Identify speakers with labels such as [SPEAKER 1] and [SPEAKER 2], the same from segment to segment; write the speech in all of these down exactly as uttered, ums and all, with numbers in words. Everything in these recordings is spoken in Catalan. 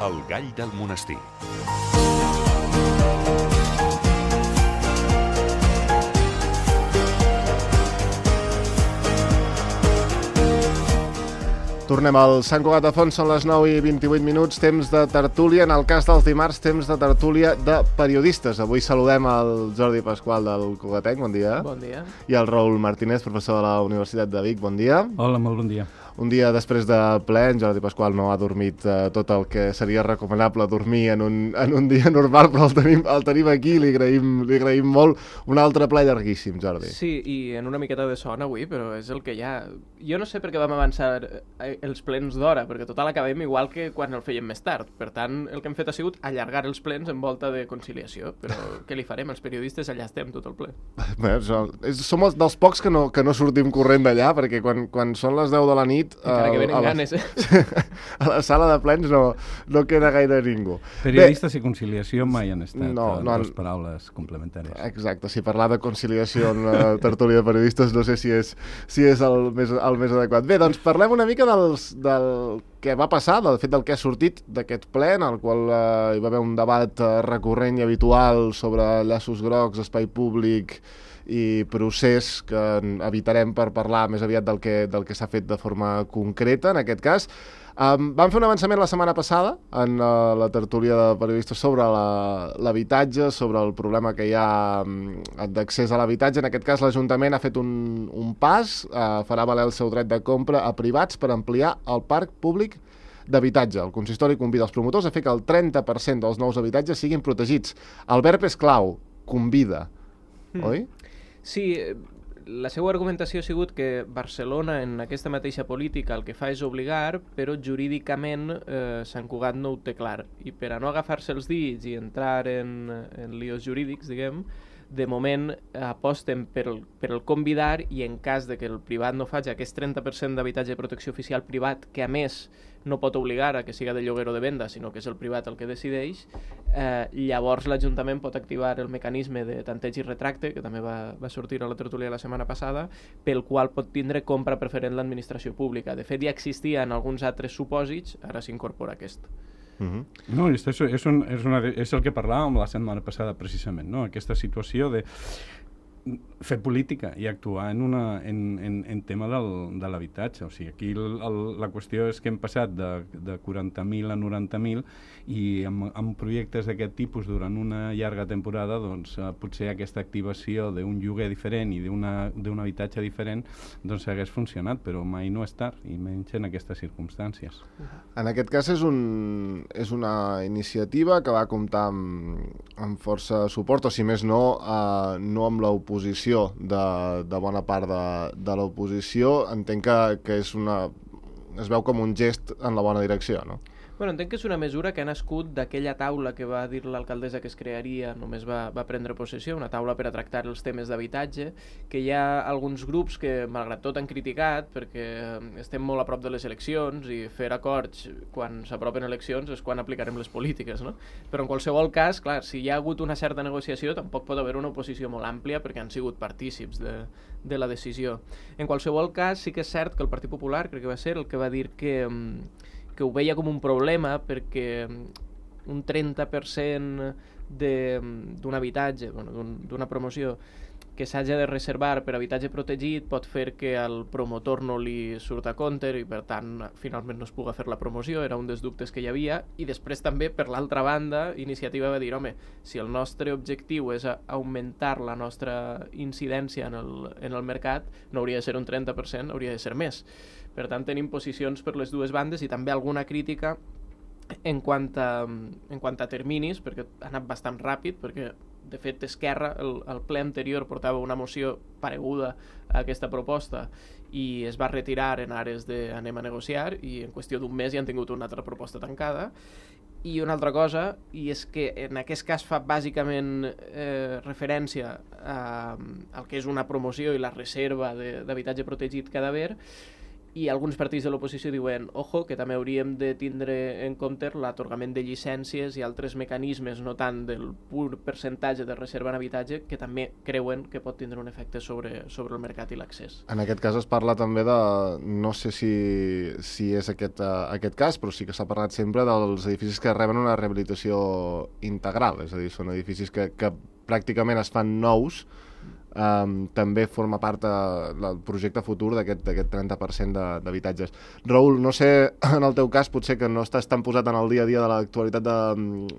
[SPEAKER 1] El gall del monestir.
[SPEAKER 2] Tornem al Sant Cugat de Font, són les nou i vint-i-vuit minuts, temps de tertúlia. En el cas dels dimarts, temps de tertúlia de periodistes. Avui saludem el Jordi Pasqual del Cugatenc, bon dia.
[SPEAKER 3] Bon dia.
[SPEAKER 2] I el Raül Martínez, professor de la Universitat de Vic, bon dia.
[SPEAKER 4] Hola, molt bon dia.
[SPEAKER 2] Un dia després de ple, en Jordi Pasqual no ha dormit eh, tot el que seria recomanable dormir en un, en un dia normal, però el tenim, el tenim aquí i li agraïm, li agraïm molt. Un altre ple llarguíssim, Jordi.
[SPEAKER 3] Sí, i en una miqueta de son avui, però és el que hi ha. Jo no sé per què vam avançar els plens d'hora, perquè total acabem igual que quan el fèiem més tard. Per tant, el que hem fet ha sigut allargar els plens en volta de conciliació. Però què li farem? Els periodistes allà estem tot el ple.
[SPEAKER 2] Bé, som, som els dels pocs que no, que no sortim corrent d'allà, perquè quan, quan són les deu de la nit
[SPEAKER 3] encara que venen
[SPEAKER 2] a la,
[SPEAKER 3] ganes, eh?
[SPEAKER 2] a la sala de plens no, no queda gaire ningú.
[SPEAKER 4] Periodistes Bé, i conciliació mai han estat
[SPEAKER 2] no, no
[SPEAKER 4] dues
[SPEAKER 2] han...
[SPEAKER 4] paraules complementàries.
[SPEAKER 2] Exacte, si parlar de conciliació en una tertúlia de periodistes no sé si és, si és el, més, el més adequat. Bé, doncs parlem una mica dels, del que va passar, del fet del que ha sortit d'aquest ple, en el qual eh, hi va haver un debat eh, recurrent i habitual sobre llaços grocs, espai públic i procés que evitarem per parlar més aviat del que, del que s'ha fet de forma concreta, en aquest cas. Um, vam fer un avançament la setmana passada en uh, la tertúlia de periodistes sobre l'habitatge, sobre el problema que hi ha um, d'accés a l'habitatge. En aquest cas, l'Ajuntament ha fet un, un pas, uh, farà valer el seu dret de compra a privats per ampliar el parc públic d'habitatge. El consistori convida els promotors a fer que el trenta per cent dels nous habitatges siguin protegits. El verb és clau, convida, mm. oi?
[SPEAKER 3] Sí, la seva argumentació ha sigut que Barcelona en aquesta mateixa política el que fa és obligar, però jurídicament eh, Sant Cugat no ho té clar. I per a no agafar-se els dits i entrar en, en líos jurídics, diguem, de moment aposten per el, per el convidar i en cas de que el privat no faci aquest trenta per cent d'habitatge de protecció oficial privat, que a més no pot obligar a que siga de lloguer o de venda, sinó que és el privat el que decideix, eh, llavors l'Ajuntament pot activar el mecanisme de tanteig i retracte, que també va, va sortir a la tertúlia la setmana passada, pel qual pot tindre compra preferent l'administració pública. De fet, ja existia en alguns altres supòsits, ara s'incorpora aquest.
[SPEAKER 4] Uh-huh. No, és, és, un, és, una, és el que parlàvem la setmana passada precisament, no? Aquesta situació de fer política i actuar en, una, en, en, en tema del, de l'habitatge. O sigui, aquí el, el, la qüestió és que hem passat de, de quaranta mil a noranta mil i amb, amb projectes d'aquest tipus durant una llarga temporada, doncs eh, potser aquesta activació d'un lloguer diferent i d'un habitatge diferent doncs hagués funcionat, però mai no és tard, i menys en aquestes circumstàncies.
[SPEAKER 2] En aquest cas és, un, és una iniciativa que va comptar amb, amb força suport, o si més no, eh, no amb l'oposició de, de bona part de, de l'oposició. Entenc que, que és una, es veu com un gest en la bona direcció, no?
[SPEAKER 3] Bueno, entenc que és una mesura que ha nascut d'aquella taula que va dir l'alcaldessa que es crearia, només va, va prendre possessió, una taula per a tractar els temes d'habitatge, que hi ha alguns grups que, malgrat tot, han criticat, perquè estem molt a prop de les eleccions i fer acords quan s'apropen eleccions és quan aplicarem les polítiques, no? Però en qualsevol cas, clar, si hi ha hagut una certa negociació, tampoc pot haver una oposició molt àmplia perquè han sigut partícips de, de la decisió. En qualsevol cas, sí que és cert que el Partit Popular, crec que va ser el que va dir que... que ho veia com un problema perquè un trenta per cent d'un habitatge, bueno, d'una un, promoció que s'hagi de reservar per habitatge protegit pot fer que al promotor no li surt a compte i per tant finalment no es puga fer la promoció, era un dels dubtes que hi havia. I després també, per l'altra banda, Iniciativa va dir, home, si el nostre objectiu és augmentar la nostra incidència en el, en el mercat, no hauria de ser un trenta per cent, hauria de ser més. Per tant, tenim posicions per les dues bandes i també alguna crítica en quant a, en quant a terminis, perquè ha anat bastant ràpid, perquè de fet Esquerra, el, el ple anterior portava una moció pareguda a aquesta proposta i es va retirar en ares de anem a negociar i en qüestió d'un mes ja han tingut una altra proposta tancada. I una altra cosa, i és que en aquest cas fa bàsicament eh, referència a, al que és una promoció i la reserva d'habitatge protegit que ha d'haver, i alguns partits de l'oposició diuen ojo, que també hauríem de tindre en compte l'atorgament de llicències i altres mecanismes, no tant del pur percentatge de reserva en habitatge, que també creuen que pot tindre un efecte sobre, sobre el mercat i l'accés.
[SPEAKER 2] En aquest cas es parla també de, no sé si, si és aquest, uh, aquest cas, però sí que s'ha parlat sempre dels edificis que reben una rehabilitació integral, és a dir, són edificis que, que pràcticament es fan nous. Um, també forma part del projecte futur d'aquest trenta per cent d'habitatges. Raül, no sé, en el teu cas, potser que no estàs tan posat en el dia a dia de l'actualitat de,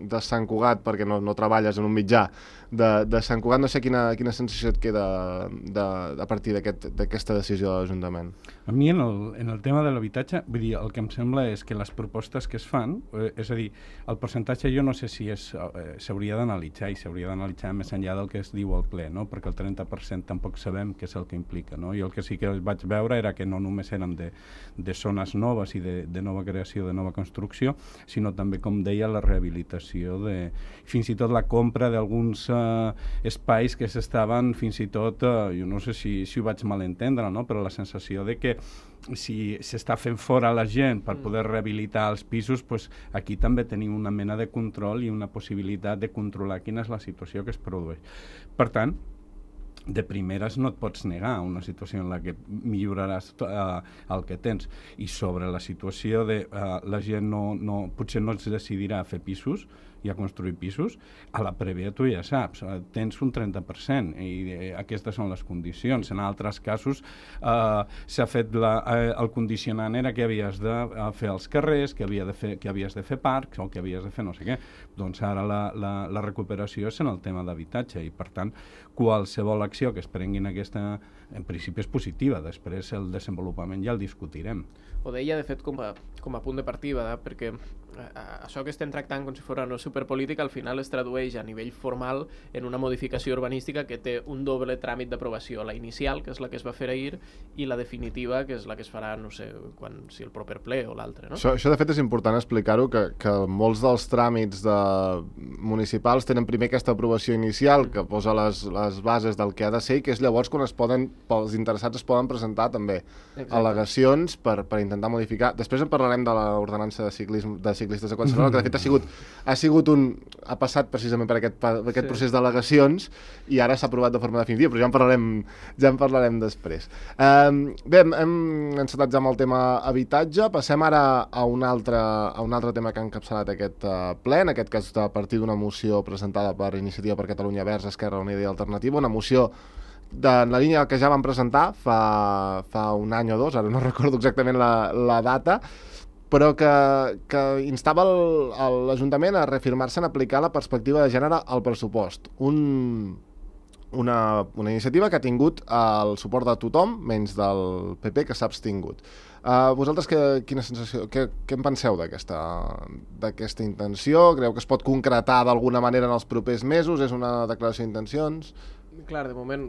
[SPEAKER 2] de Sant Cugat, perquè no, no treballes en un mitjà de, de Sant Cugat, no sé quina, quina sensació et queda de, a partir d'aquesta aquest, decisió de l'Ajuntament.
[SPEAKER 4] A mi, en el, en el tema de l'habitatge, vull dir, el que em sembla és que les propostes que es fan, eh, és a dir, el percentatge jo no sé si s'hauria eh, d'analitzar i s'hauria d'analitzar més enllà del que es diu al ple, no? Perquè el trenta per cent tampoc sabem què és el que implica, no? I el que sí que vaig veure era que no només eren de, de zones noves i de, de nova creació, de nova construcció, sinó també, com deia, la rehabilitació de... fins i tot la compra d'alguns eh, espais que s'estaven fins i tot, eh, jo no sé si, si ho vaig malentendre, no? Però la sensació de que si s'està fent fora la gent per poder rehabilitar els pisos, pues aquí també tenim una mena de control i una possibilitat de controlar quina és la situació que es produeix. Per tant, de primeres no et pots negar a una situació en la que milloraràs uh, el que tens. I sobre la situació de uh, la gent no, no, potser no es decidirà a fer pisos i a construir pisos, a la prèvia tu ja saps, uh, tens un trenta per cent i uh, aquestes són les condicions. En altres casos uh, s'ha fet la, uh, el condicionant era que havies de uh, fer els carrers, que, havia de fer, que havies de fer parcs o que havies de fer no sé què. Doncs ara la, la, la recuperació és en el tema d'habitatge i per tant qualsevol acció que es prengui en aquesta, en principi és positiva, després el desenvolupament ja el discutirem.
[SPEAKER 3] Ho deia, de fet, com a, com a punt de partida, eh? Perquè eh, això que estem tractant com si fos una superpolítica al final es tradueix a nivell formal en una modificació urbanística que té un doble tràmit d'aprovació, la inicial, que és la que es va fer ahir, i la definitiva, que és la que es farà, no sé, quan, si el proper ple o l'altre, no?
[SPEAKER 2] Això, això, de fet, és important explicar-ho, que, que molts dels tràmits de municipals tenen primer aquesta aprovació inicial, que posa les, les bases del que ha de ser, i que és llavors quan es poden, els interessats es poden presentar també Exacte. al·legacions per, per intentar modificar. Després en parlarem de l'ordenança de, ciclisme, de ciclistes de Collserola, que de fet ha sigut, ha sigut un... ha passat precisament per aquest, per aquest sí. procés d'al·legacions i ara s'ha aprovat de forma definitiva, però ja en parlarem, ja en parlarem després. Um, bé, hem, hem encetat ja amb el tema habitatge, passem ara a un altre, a un altre tema que ha encapçalat aquest uh, ple, en aquest cas a partir d'una moció presentada per Iniciativa per Catalunya Verds, Esquerra Unida i Alternativa, una moció de la línia que ja vam presentar fa, fa un any o dos, ara no recordo exactament la, la data, però que, que instava l'Ajuntament a reafirmar-se en aplicar la perspectiva de gènere al pressupost. Un, una, una iniciativa que ha tingut el suport de tothom, menys del P P, que s'ha abstingut. Uh, vosaltres que, quina sensació, què, què en penseu d'aquesta intenció? Creu que es pot concretar d'alguna manera en els propers mesos? És una declaració d'intencions?
[SPEAKER 3] Clar, de moment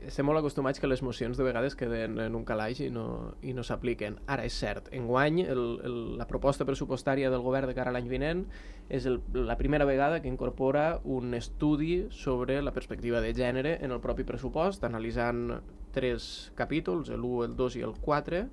[SPEAKER 3] estem molt acostumats que les mocions de vegades queden en un calaix i no, i no s'apliquen. Ara, és cert, enguany el, el, la proposta pressupostària del govern de cara a l'any vinent és el, la primera vegada que incorpora un estudi sobre la perspectiva de gènere en el propi pressupost, analitzant tres capítols, l'u, el dos i el quatre.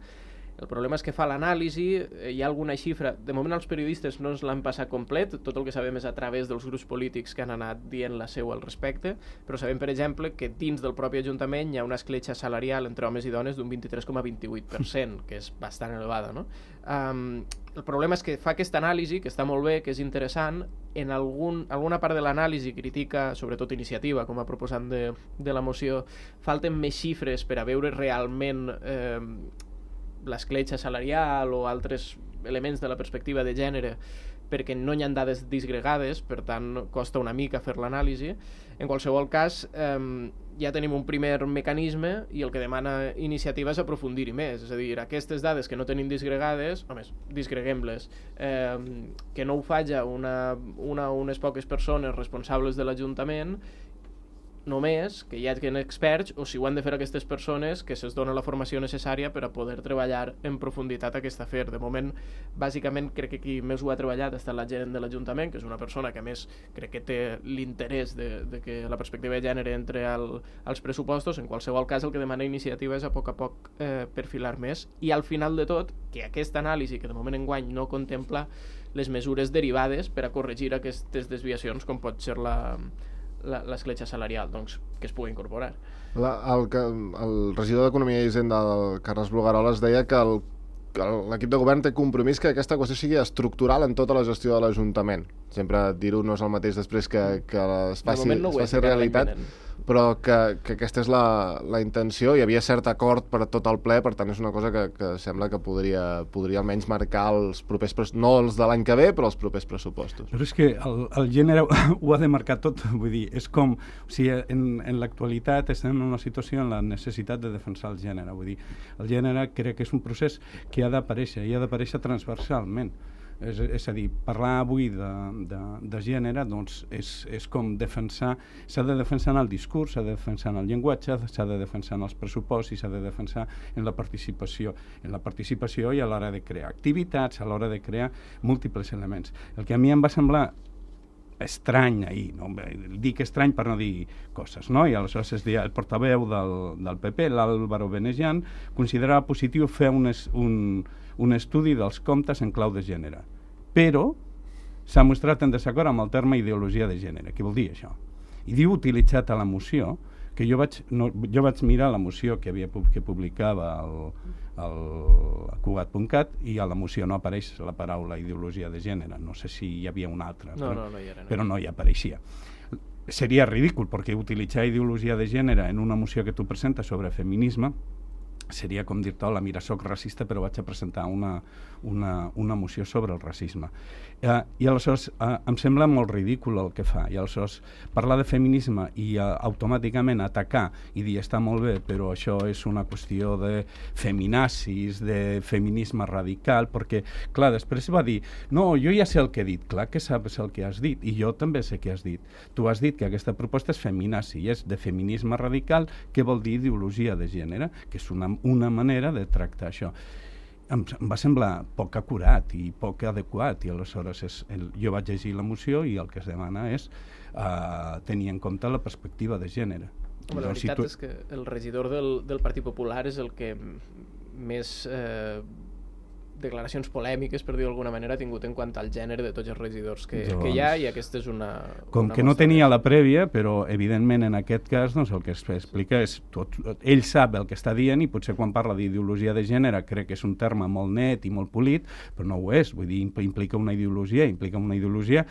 [SPEAKER 3] El problema és que fa l'anàlisi, hi ha alguna xifra, de moment els periodistes no ens l'han passat complet, tot el que sabem és a través dels grups polítics que han anat dient la seva al respecte, però sabem, per exemple, que dins del propi Ajuntament hi ha una escletxa salarial entre homes i dones d'un vint-i-tres coma vint-i-vuit per cent, que és bastant elevada, no? Um, el problema és que fa aquesta anàlisi, que està molt bé, que és interessant, en algun, alguna part de l'anàlisi critica, sobretot Iniciativa, com a proposant de, de la moció, falten més xifres per a veure realment eh, l'escletxa salarial o altres elements de la perspectiva de gènere, perquè no hi ha dades disgregades, per tant costa una mica fer l'anàlisi. En qualsevol cas, eh, ja tenim un primer mecanisme i el que demana Iniciativa és aprofundir-hi més, és a dir, aquestes dades que no tenim disgregades, només disgreguem-les, eh, que no ho faci una, una o unes poques persones responsables de l'Ajuntament només que hi hagin experts o si ho han de fer aquestes persones que se'ls dona la formació necessària per a poder treballar en profunditat aquest afer. De moment, bàsicament, crec que qui més ho ha treballat ha estat la gerent de l'Ajuntament, que és una persona que a més crec que té l'interès de, de que la perspectiva de gènere entre al, als pressupostos. En qualsevol cas, el que demana iniciativa és a poc a poc eh, perfilar més i al final de tot, que aquesta anàlisi, que de moment enguany no contempla les mesures derivades per a corregir aquestes desviacions, com pot ser la l'escletxa salarial, doncs, que es pugui incorporar.
[SPEAKER 2] La, el, el regidor d'Economia i Hisenda, el Carles Brugueroles, deia que el, l'equip de govern té compromís que aquesta qüestió sigui estructural en tota la gestió de l'Ajuntament. Sempre dir-ho no és el mateix després que, que es faci, no es faci realitat, però que, que aquesta és la, la intenció. Hi havia cert acord per a tot el ple, per tant és una cosa que, que sembla que podria, podria almenys marcar els propers, no els de l'any que ve, però els propers pressupostos.
[SPEAKER 4] Però és que el, el gènere ho ha de marcar tot, vull dir, és com, o sigui, en, en l'actualitat estem en una situació en la necessitat de defensar el gènere, vull dir, el gènere crec que és un procés que ha d'aparèixer, i ha d'aparèixer transversalment. És, és a dir, parlar avui de, de, de gènere doncs és, és com defensar, s'ha de defensar en el discurs, s'ha de defensar en el llenguatge, s'ha de defensar en els pressupostos i s'ha de defensar en la participació, en la participació i a l'hora de crear activitats, a l'hora de crear múltiples elements. El que a mi em va semblar estrany ahir, no? Dic estrany per no dir coses, no? I aleshores es deia, el portaveu del, del P P, l'Álvaro Benesian, considerava positiu fer un, un, un estudi dels comptes en clau de gènere, però s'ha mostrat en desacord amb el terme ideologia de gènere. Què vol dir això? I diu utilitzat a la moció, que jo vaig, no, jo vaig mirar la moció que, havia, que publicava el, el Cugat punt cat i a la moció no apareix la paraula ideologia de gènere. No sé si hi havia una altra,
[SPEAKER 3] no,
[SPEAKER 4] però,
[SPEAKER 3] no, no hi era, no.
[SPEAKER 4] però no hi apareixia. Seria ridícul, perquè utilitzar ideologia de gènere en una moció que tu presentes sobre feminisme seria com dir-te, hola, mira, soc racista però vaig a presentar una, una, una moció sobre el racisme. Eh, I aleshores eh, em sembla molt ridícul el que fa, i aleshores parlar de feminisme i eh, automàticament atacar i dir està molt bé, però això és una qüestió de feminazis, de feminisme radical, perquè, clar, després va dir, no, jo ja sé el que he dit, clar que saps el que has dit, i jo també sé què has dit. Tu has dit que aquesta proposta és feminazi, i és de feminisme radical, que vol dir ideologia de gènere, que és una una manera de tractar això. Em, em va semblar poc acurat i poc adequat, i aleshores és el, jo vaig llegir la moció i el que es demana és uh, tenir en compte la perspectiva de gènere.
[SPEAKER 3] Home, la veritat si tu... és que el regidor del, del Partit Popular és el que més eh, declaracions polèmiques, per dir-ho d'alguna manera, ha tingut en quant al gènere de tots els regidors que, doncs, que hi ha, i aquesta és una...
[SPEAKER 4] Com
[SPEAKER 3] una
[SPEAKER 4] que no tenia la prèvia, però evidentment en aquest cas doncs, el que es explica és tot, ell sap el que està dient, i potser quan parla d'ideologia de gènere crec que és un terme molt net i molt polit, però no ho és, vull dir, implica una ideologia, implica una ideologia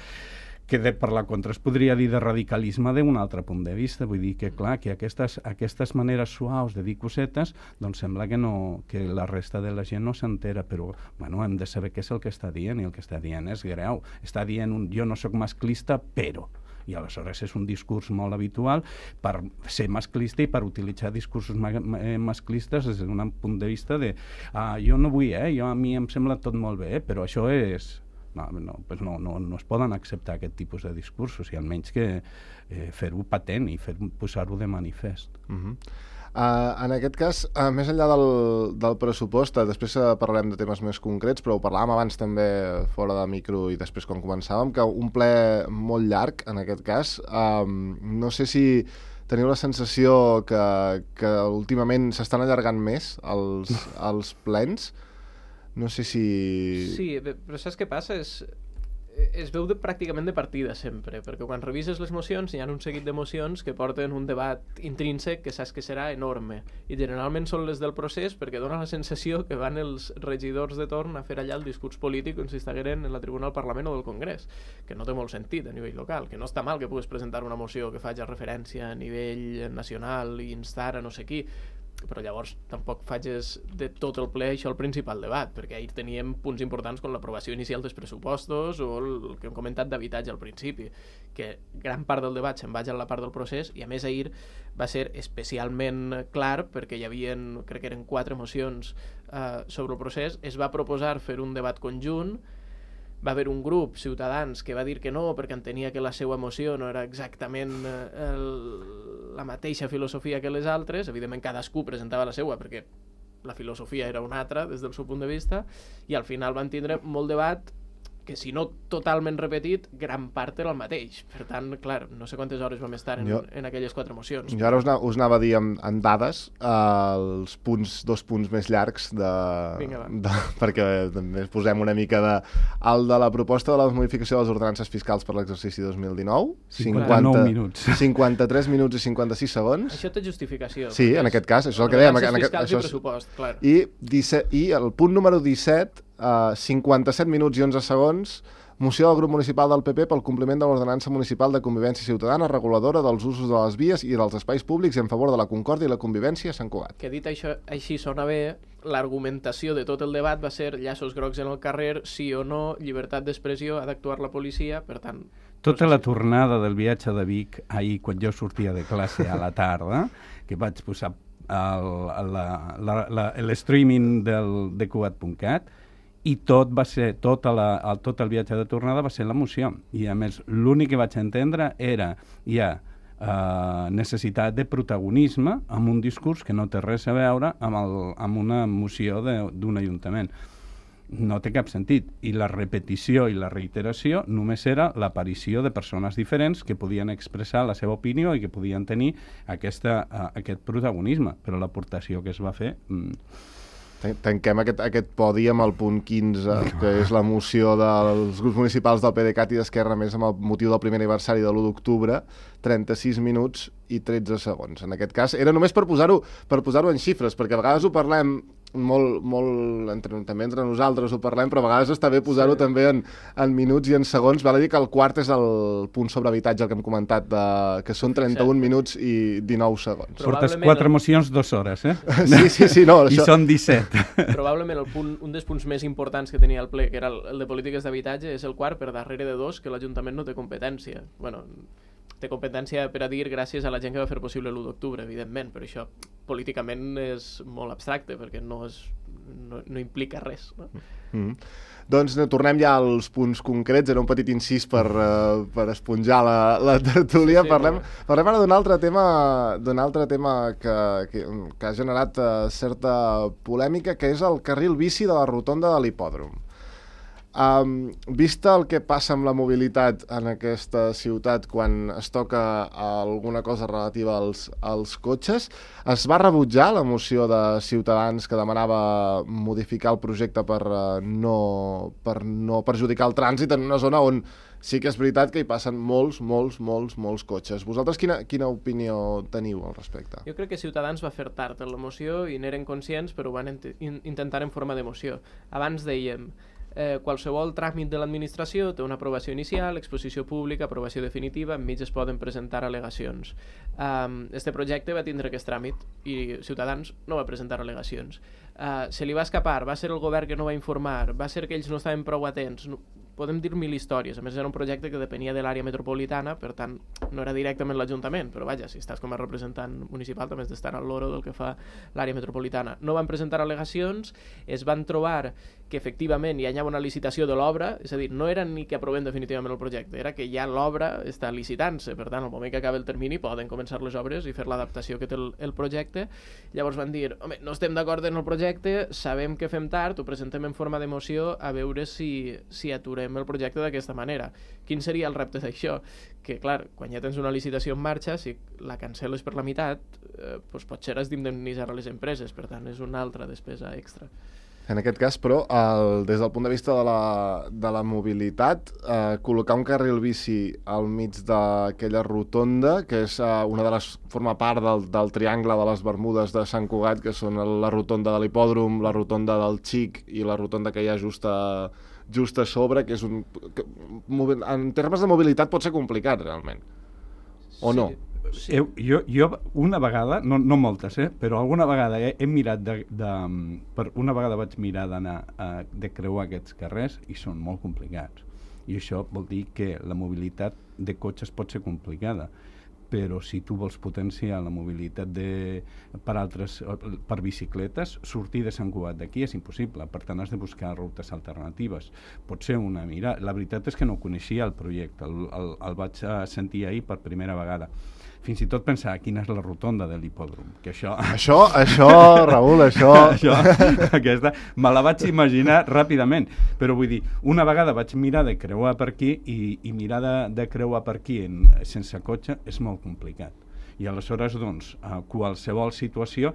[SPEAKER 4] que de, per la contra es podria dir de radicalisme d'un altre punt de vista, vull dir que clar, que aquestes, aquestes maneres suaus de dir cosetes, doncs sembla que, no, que la resta de la gent no s'entera, però bueno, hem de saber què és el que està dient, i el que està dient és greu, està dient un, jo no sóc masclista, però, i aleshores és un discurs molt habitual per ser masclista i per utilitzar discursos ma masclistes des d'un punt de vista de, ah, jo no vull, eh, jo, a mi em sembla tot molt bé, eh, però això és... No, no, pues no, no, no es poden acceptar aquest tipus de discursos, i almenys que eh, fer-ho patent i posar-ho de manifest.
[SPEAKER 2] Uh-huh. uh, en aquest cas, uh, més enllà del, del pressupost, uh, després uh, parlarem de temes més concrets, però ho parlàvem abans també fora de micro i després quan començàvem, que un ple molt llarg, en aquest cas, um, no sé si teniu la sensació que, que últimament s'estan allargant més els, els plens. No sé si...
[SPEAKER 3] Sí, però saps què passa? És, es veu de, pràcticament de partida sempre, perquè quan revises les mocions hi ha un seguit de mocions que porten un debat intrínsec que saps que serà enorme, i generalment són les del procés, perquè dona la sensació que van els regidors de torn a fer allà el discurs polític com si estigueren en la tribuna del Parlament o del Congrés, que no té molt sentit a nivell local, que no està mal que puguis presentar una moció que faci referència a nivell nacional i instar a no sé qui, però llavors tampoc facis de tot el ple això el principal debat, perquè ahir teníem punts importants com l'aprovació inicial dels pressupostos o el que hem comentat d'habitatge al principi, que gran part del debat se'n vaig a la part del procés, i a més ahir va ser especialment clar perquè hi havia, crec que eren quatre mocions eh, sobre el procés, es va proposar fer un debat conjunt, va haver un grup, Ciutadans, que va dir que no, perquè entenia que la seva moció no era exactament eh, el, la mateixa filosofia que les altres. Evidentment, cadascú presentava la seva, perquè la filosofia era una altra des del seu punt de vista, i al final van tindre molt debat que, si no totalment repetit, gran part era el mateix. Per tant, clar, no sé quantes hores vam estar en,
[SPEAKER 2] jo,
[SPEAKER 3] en aquelles quatre mocions.
[SPEAKER 2] Jo ara us, na, us anava a dir en, en dades eh, els punts, dos punts més llargs de,
[SPEAKER 3] Vinga,
[SPEAKER 2] de, perquè també posem una mica de el de la proposta de la modificació de les ordenances fiscals per l'exercici dos mil dinou,
[SPEAKER 4] cinquanta-nou minuts.
[SPEAKER 2] cinquanta-tres minuts i cinquanta-sis segons.
[SPEAKER 3] Això té justificació.
[SPEAKER 2] Sí, en aquest cas, això és el que dèiem. En aquest,
[SPEAKER 3] això
[SPEAKER 2] això és,
[SPEAKER 3] i pressupost, clar.
[SPEAKER 2] I, disset, I el punt número disset, Uh, cinquanta-set minuts i onze segons, moció del grup municipal del P P pel compliment de l'ordenança municipal de convivència ciutadana reguladora dels usos de les vies i dels espais públics en favor de la concòrdia i la convivència a Sant Cugat.
[SPEAKER 3] Que dit això, així sona bé, l'argumentació de tot el debat va ser llaços grocs en el carrer, sí o no, llibertat d'expressió, ha d'actuar la policia, per tant...
[SPEAKER 4] Tota la tornada del viatge de Vic, ahir, quan jo sortia de classe a la tarda, que vaig posar l'streaming de Cugat punt cat, i tot va ser, tot, la, el, tot el viatge de tornada va ser la moció. I a més, l'únic que vaig entendre era ja eh, necessitat de protagonisme amb un discurs que no té res a veure amb, el, amb una moció d'un ajuntament. No té cap sentit. I la repetició i la reiteració només era l'aparició de persones diferents que podien expressar la seva opinió i que podien tenir aquesta, uh, aquest protagonisme. Però l'aportació que es va fer... Mm,
[SPEAKER 2] Tanquem aquest, aquest podi amb el punt quinze, que és la moció dels grups municipals del PDeCAT i d'Esquerra, més amb el motiu del primer aniversari de l'u d'octubre, trenta-sis minuts i tretze segons. En aquest cas, era només per posar-ho per posar-ho en xifres, perquè a vegades ho parlem molt, molt entre, també entre nosaltres ho parlem, però a vegades està bé posar-ho sí. també en, en minuts i en segons. Val a dir que el quart és el punt sobre habitatge, el que hem comentat, de, que són trenta-un minuts i dinou segons.
[SPEAKER 4] Portes quatre mocions, dues hores, eh?
[SPEAKER 2] Sí, sí, sí. No,
[SPEAKER 4] I
[SPEAKER 2] això...
[SPEAKER 4] són disset.
[SPEAKER 3] Probablement el punt, un dels punts més importants que tenia el ple, que era el, el de polítiques d'habitatge, és el quart per darrere de dos, que l'Ajuntament no té competència. Bueno, té competència per a dir gràcies a la gent que va fer possible l'u d'octubre, evidentment, però això políticament és molt abstracte, perquè no, és, no, no implica res. No?
[SPEAKER 2] Mm. Doncs no, tornem ja als punts concrets, era un petit incís per, uh, per esponjar la, la tertúlia. Sí, sí, parlem, parlem ara d'un altre tema, d'un altre tema que, que, que ha generat uh, certa polèmica, que és el carril bici de la rotonda de l'hipòdrom. Um, vista el que passa amb la mobilitat en aquesta ciutat quan es toca alguna cosa relativa als, als cotxes, es va rebutjar la moció de Ciutadans que demanava modificar el projecte per, uh, no, per no perjudicar el trànsit en una zona on sí que és veritat que hi passen molts, molts, molts, molts cotxes. Vosaltres quina, quina opinió teniu al respecte?
[SPEAKER 3] Jo crec que Ciutadans va fer tard en la moció i n'eren conscients, però ho van in intentar en forma de moció. Abans dèiem... Eh, qualsevol tràmit de l'administració té una aprovació inicial, exposició pública, aprovació definitiva, enmig es poden presentar al·legacions. Um, este projecte va tindre aquest tràmit i Ciutadans no va presentar al·legacions. Uh, se li va escapar, va ser el govern que no va informar, va ser que ells no estaven prou atents, no, podem dir mil històries. A més, era un projecte que depenia de l'àrea metropolitana, per tant, no era directament l'Ajuntament, però vaja, si estàs com a representant municipal també has d'estar al loro del que fa l'àrea metropolitana. No van presentar al·legacions, es van trobar que efectivament hi ha una licitació de l'obra, és a dir, no era ni que aprovem definitivament el projecte, era que ja l'obra està licitant-se, per tant, al moment que acaba el termini poden començar les obres i fer l'adaptació que té el, el projecte. Llavors van dir, home, no estem d'acord en el projecte, sabem que fem tard, ho presentem en forma de moció a veure si, si aturem el projecte d'aquesta manera. Quin seria el repte d'això? Que, clar, quan ja tens una licitació en marxa, si la cancel·les per la meitat, eh, doncs potser has d'indemnitzar a les empreses, per tant, és una altra despesa extra.
[SPEAKER 2] En aquest cas, però, el, des del punt de vista de la, de la mobilitat, eh, col·locar un carril bici al mig d'aquella rotonda, que és eh, una de les, forma part del, del triangle de les Bermudes de Sant Cugat, que són la rotonda de l'hipòdrom, la rotonda del Xic i la rotonda que hi ha just a, just a sobre, que és un... Que, en termes de mobilitat pot ser complicat, realment. O
[SPEAKER 3] sí.
[SPEAKER 2] no?
[SPEAKER 4] Sí. Jo, jo una vegada, no, no moltes, eh, però alguna vegada he, he mirat de, de, per una vegada vaig mirar d'anar de creuar aquests carrers i són molt complicats, i això vol dir que la mobilitat de cotxes pot ser complicada, però si tu vols potenciar la mobilitat de, per, altres, per bicicletes, sortir de Sant Cugat d'aquí és impossible, per tant has de buscar rutes alternatives. Pot ser una mirada. La veritat és que no coneixia el projecte, el, el, el vaig sentir ahir per primera vegada. Fins i tot pensar quina és la rotonda de l'hipòdrom, que això...
[SPEAKER 2] Això, això, Raül, això...
[SPEAKER 4] això aquesta, me la vaig imaginar ràpidament, però vull dir, una vegada vaig mirar de creuar per aquí i, i mirar de, de creuar per aquí en, sense cotxe és molt complicat. I aleshores, doncs, a qualsevol situació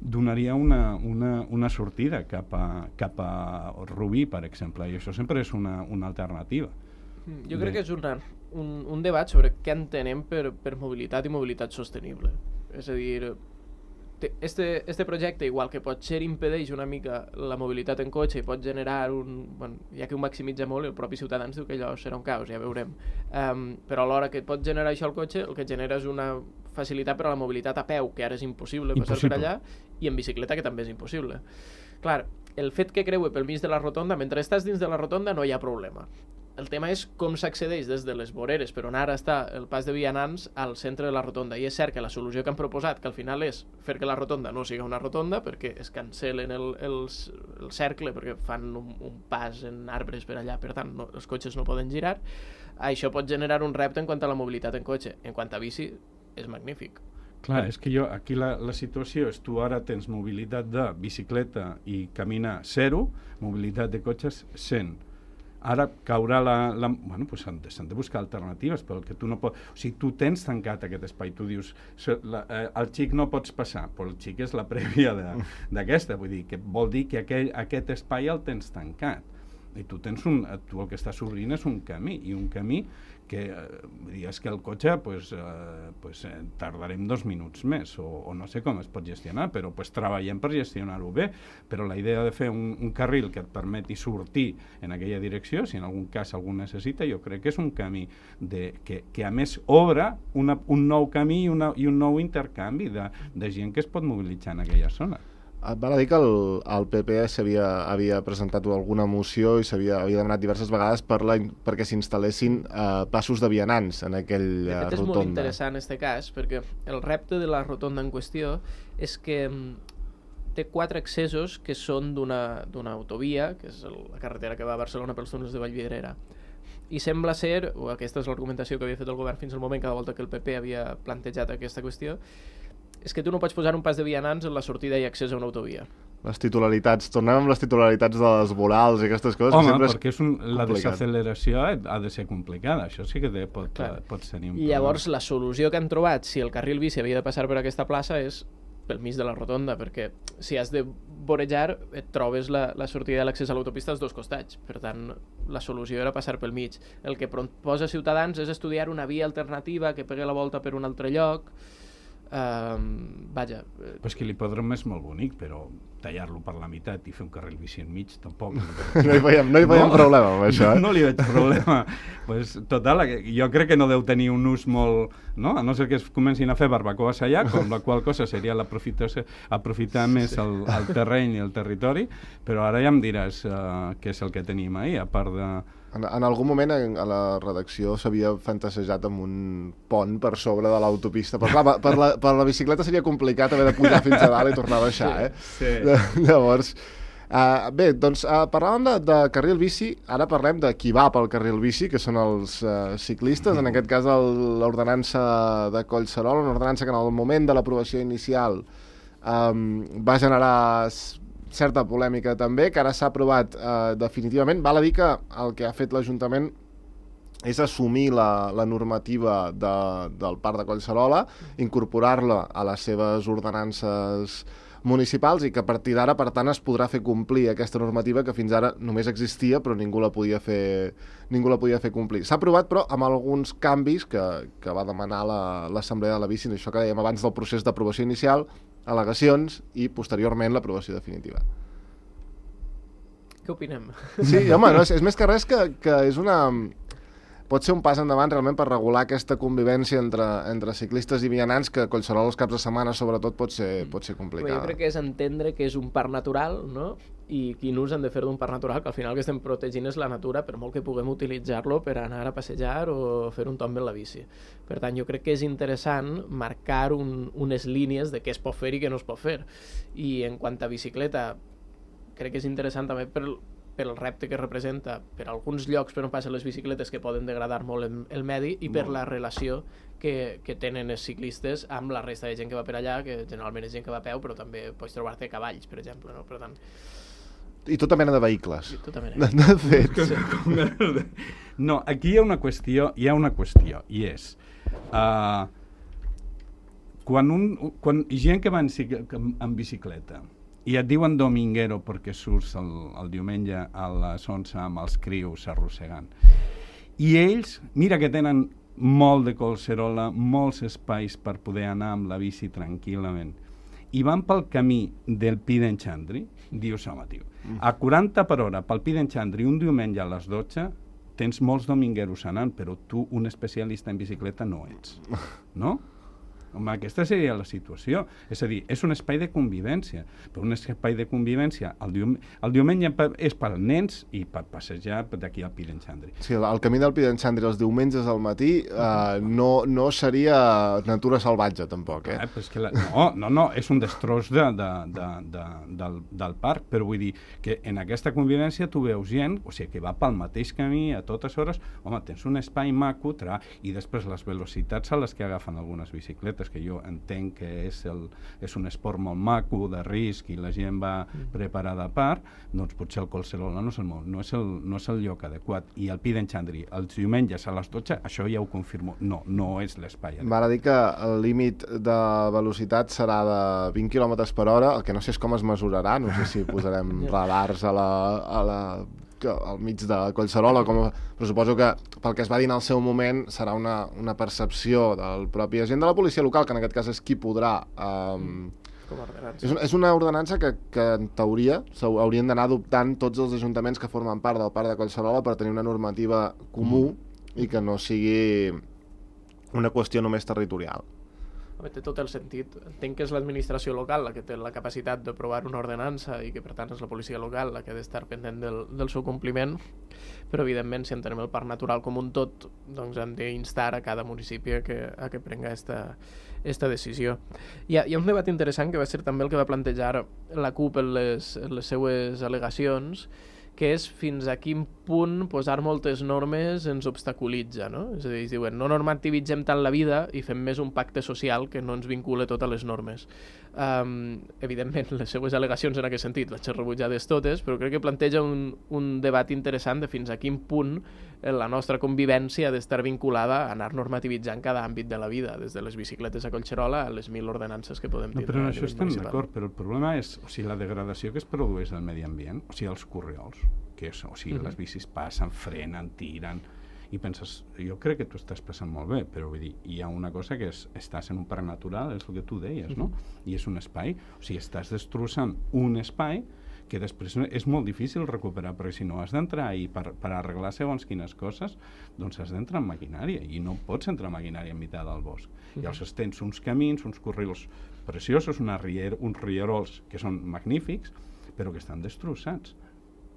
[SPEAKER 4] donaria una, una, una sortida cap a, cap a Rubí, per exemple, i això sempre és una, una alternativa.
[SPEAKER 3] Jo crec que és una, un, un debat sobre què entenem per, per mobilitat i mobilitat sostenible. És a dir, te, este, este projecte, igual que potser impedeix una mica la mobilitat en cotxe i pot generar un... Bueno, ja que ho maximitza molt, el propi Ciutadans diu que allò serà un caos, ja veurem. Um, però alhora que pot generar això el cotxe, el que genera és una facilitat per a la mobilitat a peu, que ara és impossible, impossible. passar per allà, i en bicicleta, que també és impossible. Clar, el fet que creue pel mig de la rotonda, mentre estàs dins de la rotonda no hi ha problema. El tema és com s'accedeix des de les voreres, per on ara està el pas de vianants, al centre de la rotonda. I és cert que la solució que han proposat, que al final és fer que la rotonda no sigui una rotonda, perquè es cancel·len el, el, el cercle, perquè fan un, un pas en arbres per allà, per tant, no, els cotxes no poden girar. Això pot generar un repte en quant a la mobilitat en cotxe. En quant a bici, és magnífic.
[SPEAKER 4] Clar, és que jo, aquí la, la situació és tu ara tens mobilitat de bicicleta i caminar zero, mobilitat de cotxes cent. Ara caurà la... la bueno, doncs s'han de, s'han de buscar alternatives, però el que tu no pots... O sigui, tu tens tancat aquest espai, tu dius, la, eh, el xic no pots passar, però el xic és la prèvia d'aquesta, vull dir, que vol dir que aquell, aquest espai el tens tancat. I tu tens un... Tu el que estàs obrint és un camí, i un camí que, eh, vull dir, és que el cotxe, pues, eh, pues, eh, tardarem dos minuts més, o, o no sé com es pot gestionar, però pues, treballem per gestionar-ho bé, però la idea de fer un, un carril que et permeti sortir en aquella direcció, si en algun cas algú necessita, jo crec que és un camí de, que, que a més obre una, un nou camí i, una, i un nou intercanvi de, de gent que es pot mobilitzar en aquella zona.
[SPEAKER 2] Val a dir que el, el P P havia, havia presentat alguna moció i s'havia havia demanat diverses vegades per la, perquè s'instal·lessin eh, passos de vianants en aquell rotonda.
[SPEAKER 3] De fet, és molt interessant en aquest cas, perquè el repte de la rotonda en qüestió és que té quatre accessos que són d'una d'una autovia, que és el, la carretera que va a Barcelona pels túnels de Vallvidrera. I sembla ser, o aquesta és l'argumentació que havia fet el govern fins al moment, cada volta que el P P havia plantejat aquesta qüestió, és que tu no pots posar un pas de vianants en la sortida i accés a una autovia.
[SPEAKER 2] Les titularitats, tornem amb les titularitats de les vorals i aquestes coses.
[SPEAKER 4] Home,
[SPEAKER 2] que sempre
[SPEAKER 4] perquè és un, la desaceleració ha de ser complicada, això sí que té, pot, pot tenir un
[SPEAKER 3] problema. I llavors la solució que han trobat, si el carril bici havia de passar per aquesta plaça, és pel mig de la rotonda, perquè si has de vorejar et trobes la, la sortida de l'accés a l'autopista als dos costats. Per tant, la solució era passar pel mig. El que proposa Ciutadans és estudiar una via alternativa que pegui la volta per un altre lloc. Um, vaja...
[SPEAKER 4] Però és que l'hipòdrom és molt bonic, però tallar-lo per la meitat i fer un carril bici enmig tampoc...
[SPEAKER 2] No hi veiem, no hi veiem no, problema amb això.
[SPEAKER 4] No, no li veig problema. Pues, total, jo crec que no deu tenir un ús molt... No? A no ser que es comencin a fer barbacoes allà, com la qual cosa seria aprofitar més el, el terreny i el territori, però ara ja em diràs uh, què és el que tenim ahir, a part de...
[SPEAKER 2] En, en algun moment en, a la redacció s'havia fantasejat amb un pont per sobre de l'autopista, però clar, per la, per la bicicleta seria complicat haver de pujar fins a dalt i tornar a baixar, eh?
[SPEAKER 4] Sí.
[SPEAKER 2] Llavors, uh, bé, doncs uh, parlàvem de, de carril bici, ara parlem de qui va pel carril bici, que són els uh, ciclistes, en aquest cas l'ordenança de Collserola, una ordenança que en el moment de l'aprovació inicial um, va generar certa polèmica també, que ara s'ha aprovat eh, definitivament. Val a dir que el que ha fet l'Ajuntament és assumir la, la normativa de, del Parc de Collserola, incorporar-la a les seves ordenances municipals i que a partir d'ara, per tant, es podrà fer complir aquesta normativa que fins ara només existia però ningú la podia fer, ningú la podia fer complir. S'ha aprovat, però, amb alguns canvis que, que va demanar l'Assemblea de la Bici, això que dèiem abans del procés d'aprovació inicial, al·legacions i, posteriorment, l'aprovació definitiva.
[SPEAKER 3] Què opinem?
[SPEAKER 2] Sí, home, no, és, és més que res que, que és una... pot ser un pas endavant realment per regular aquesta convivència entre, entre ciclistes i vianants que a Collserola els caps de setmana sobretot pot ser, pot ser complicada.
[SPEAKER 3] Jo crec que és entendre que és un parc natural, no? I quin ús hem de fer d'un parc natural, que al final el que estem protegint és la natura, per molt que puguem utilitzar-lo per anar a passejar o fer un tomb amb la bici. Per tant, jo crec que és interessant marcar un, unes línies de què es pot fer i què no es pot fer. I en quant a bicicleta, crec que és interessant també per, per el repte que representa per alguns llocs per on passen les bicicletes que poden degradar molt el, el medi i per la relació que, que tenen els ciclistes amb la resta de gent que va per allà, que generalment és gent que va a peu, però també pots trobar-te cavalls, per exemple, no? Per tant,
[SPEAKER 2] i tota mena de vehicles.
[SPEAKER 3] I tota mena.
[SPEAKER 2] De fet.
[SPEAKER 4] Sí. No, aquí hi ha una qüestió, hi ha una qüestió, i és... Uh, quan, un, quan gent que va en, en bicicleta i et diuen dominguero perquè surts el, el diumenge a les onze amb els crius arrossegant, i ells, mira que tenen molt de Collserola, molts espais per poder anar amb la bici tranquil·lament, i van pel camí del Pi d'en Xandri, dius, home, tio, a quaranta per hora pel Pi d'en Xandri un diumenge a les dotze tens molts domingueros anant, però tu un especialista en bicicleta no ets, no? Home, aquesta seria la situació. És a dir, és un espai de convivència, però un espai de convivència el, dium el diumenge és per als nens i per passejar d'aquí al Pi d'en Xandri.
[SPEAKER 2] Sí, el camí del Pi d'en Xandri els diumenges al matí eh, no, no seria natura salvatge, tampoc, eh?
[SPEAKER 4] eh però és que la... No, no, no, és un destroç de, de, de, de, del, del parc, però vull dir que en aquesta convivència tu veus gent, o sigui, que va pel mateix camí a totes hores, home, tens un espai maco, tra, i després les velocitats a les que agafen algunes bicicletes, que jo entenc que és, el, és un esport molt maco, de risc, i la gent va preparada a part, doncs potser el Collserola no és el, no és el, no és el lloc adequat. I el Pi d'en Xandri, els diumenges a les dotze, això ja ho confirmo, no, no és l'espai adequat.
[SPEAKER 2] M'ha dit que el límit de velocitat serà de vint quilòmetres per hora, el que no sé és com es mesurarà, no sé si posarem radars a la... A la que al mig de Collserola, com, però suposo que pel que es va dir en el seu moment serà una, una percepció del propi agent de la policia local, que en aquest cas és qui podrà... Um,
[SPEAKER 3] com a ordenança.
[SPEAKER 2] És, és una ordenança que, que en teoria haurien d'anar adoptant tots els ajuntaments que formen part del parc de Collserola per tenir una normativa comú mm. i que no sigui una qüestió només territorial.
[SPEAKER 3] Té tot el sentit. Entenc que és l'administració local la que té la capacitat d'aprovar una ordenança i que per tant és la policia local la que ha d'estar pendent del, del seu compliment, però evidentment si entenem el parc natural com un tot, doncs hem d'instar a cada municipi a que, a que prenga esta, esta decisió. Hi ha, hi ha un debat interessant que va ser també el que va plantejar la CUP en les, en les seues al·legacions, que és fins a quin punt posar moltes normes ens obstaculitza, no? És a dir, diuen, no normativitzem tant la vida i fem més un pacte social que no ens vincula totes les normes. Um, evidentment, les seues al·legacions en aquest sentit les he rebutjades totes, però crec que planteja un, un debat interessant de fins a quin punt la nostra convivència ha d'estar vinculada a anar normativitzant cada àmbit de la vida, des de les bicicletes a Collserola a les mil ordenances que podem
[SPEAKER 4] no,
[SPEAKER 3] tindre.
[SPEAKER 4] Però en això estem d'acord, però el problema és o sigui, la degradació que es produeix al medi ambient, o sigui, els corriols, que és, o sigui, uh -huh. les bicis passen, frenen, tiren, i penses, jo crec que tu estàs passant molt bé, però vull dir, hi ha una cosa que és, estàs en un parc natural, és el que tu deies, no? I és un espai, o sigui, estàs destrossant un espai que després és molt difícil recuperar, perquè si no has d'entrar i per, per arreglar segons quines coses, doncs has d'entrar en maquinària, i no pots entrar en maquinària en mitjà del bosc. Uh -huh. Llavors tens uns camins, uns corrils preciosos, una rier, uns rierols que són magnífics, però que estan destrossats.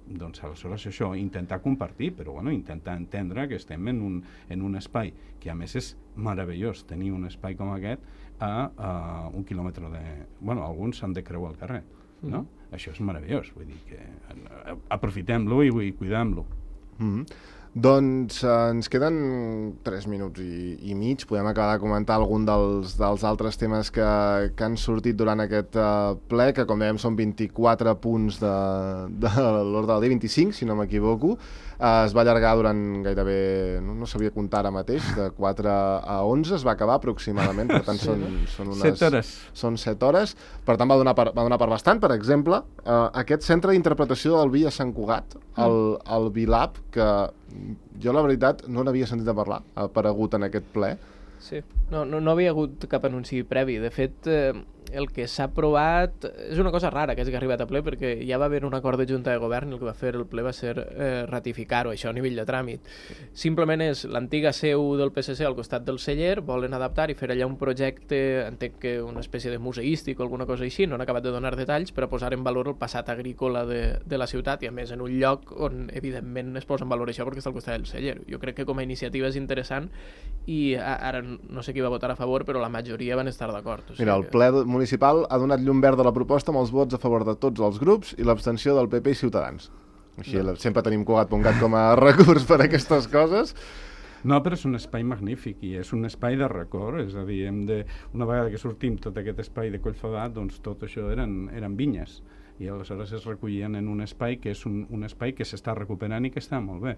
[SPEAKER 4] Doncs aleshores això, intentar compartir, però bueno, intentar entendre que estem en un, en un espai que a més és meravellós tenir un espai com aquest a, a un quilòmetre de... Bueno, alguns s'han de creuar al carrer, no? Mm. Això és meravellós, vull dir que aprofitem-lo i, i cuidem-lo.
[SPEAKER 2] Mm. Doncs eh, ens queden tres minuts i, i mig. Podem acabar de comentar algun dels, dels altres temes que, que han sortit durant aquest uh, ple, que com dèiem són vint-i-quatre punts de, de l'ordre del dia, vint-i-cinc, si no m'equivoco. Uh, es va allargar durant gairebé, no, no sabia comptar ara mateix, de quatre a onze, es va acabar aproximadament, per tant són, són unes...
[SPEAKER 4] set hores.
[SPEAKER 2] Són set hores, per tant va donar per, va donar per bastant. Per exemple, uh, aquest centre d'interpretació del vi a Sant Cugat, el, el ViLab, que jo la veritat no n'havia sentit a parlar, ha aparegut en aquest ple.
[SPEAKER 3] Sí, no, no, no havia hagut cap anunci previ. De fet, eh, el que s'ha aprovat és una cosa rara, que és que ha arribat a ple, perquè ja va haver un acord de Junta de Govern i el que va fer el ple va ser eh, ratificar-ho, això a nivell de tràmit. Simplement és l'antiga seu del P S C al costat del celler, volen adaptar i fer allà un projecte, entenc que una espècie de museístic o alguna cosa així, no han acabat de donar detalls, per a posar en valor el passat agrícola de, de la ciutat i a més en un lloc on evidentment es posa en valor això perquè està al costat del celler. Jo crec que com a iniciativa és interessant i ara no sé qui va votar a favor, però la majoria van estar d'acord. O sigui
[SPEAKER 2] Mira, el
[SPEAKER 3] que...
[SPEAKER 2] ple municipal ha donat llum verd a la proposta amb els vots a favor de tots els grups i l'abstenció del P P i Ciutadans. Així no. Sempre tenim Cugat.cat com a recurs per a aquestes coses.
[SPEAKER 4] No, però és un espai magnífic i és un espai de record, és a dir, hem de, una vegada que sortim tot aquest espai de Collfadat, doncs tot això eren, eren vinyes i aleshores es recollien en un espai que és un, un espai que s'està recuperant i que està molt bé.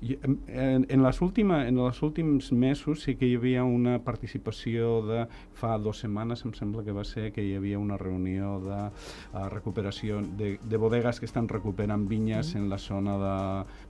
[SPEAKER 4] I, en, en, les última, en els últims mesos sí que hi havia una participació de, fa dues setmanes em sembla que va ser, que hi havia una reunió de uh, recuperació de, de bodegues que estan recuperant vinyes mm. en la zona de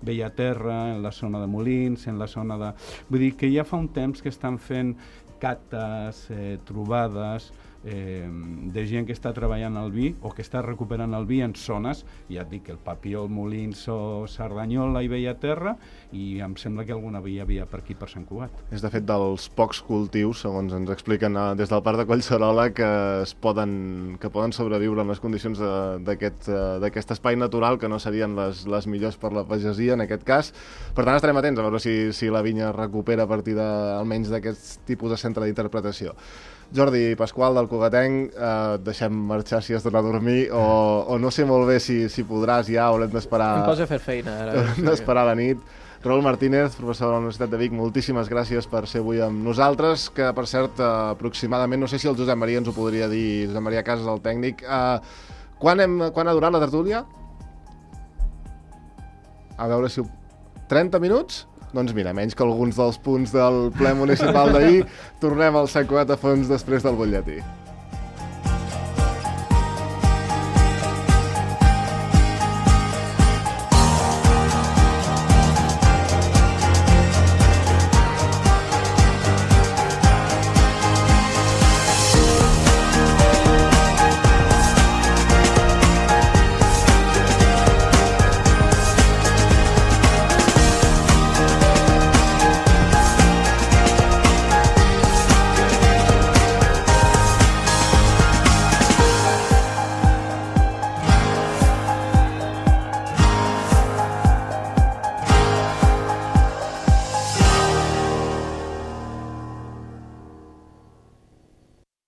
[SPEAKER 4] Bellaterra, en la zona de Molins, en la zona de... Vull dir que ja fa un temps que estan fent cates, eh, trobades, Eh, de gent que està treballant el vi o que està recuperant el vi en zones, ja et dic, el Papiol, Molins o Cerdanyola i Bellaterra, i em sembla que alguna via havia per aquí, per Sant Cugat.
[SPEAKER 2] És de fet dels pocs cultius, segons ens expliquen eh, des del Parc de Collserola, que es poden, que poden sobreviure en les condicions d'aquest d'aquest espai natural, que no serien les, les millors per la pagesia en aquest cas. Per tant, estarem atents a veure si, si la vinya recupera a partir de, almenys d'aquest tipus de centre d'interpretació. Jordi Pasqual, del Cugatenc, eh, deixem marxar si has d'anar a dormir o, o no sé molt bé si, si podràs ja, haurem d'esperar...
[SPEAKER 3] Em posa a fer feina ara.
[SPEAKER 2] Haurem d'esperar la nit. Raül Martínez, professor de la Universitat de Vic, moltíssimes gràcies per ser avui amb nosaltres, que per cert, eh, aproximadament, no sé si el Josep Maria ens ho podria dir, Josep Maria Casas, el tècnic, eh, quan, hem, quan ha durat la tertúlia? A veure si... Ho... trenta minuts? Doncs mira, menys que alguns dels punts del ple municipal d'ahir, tornem al Sant Cugat a fons després del butlletí.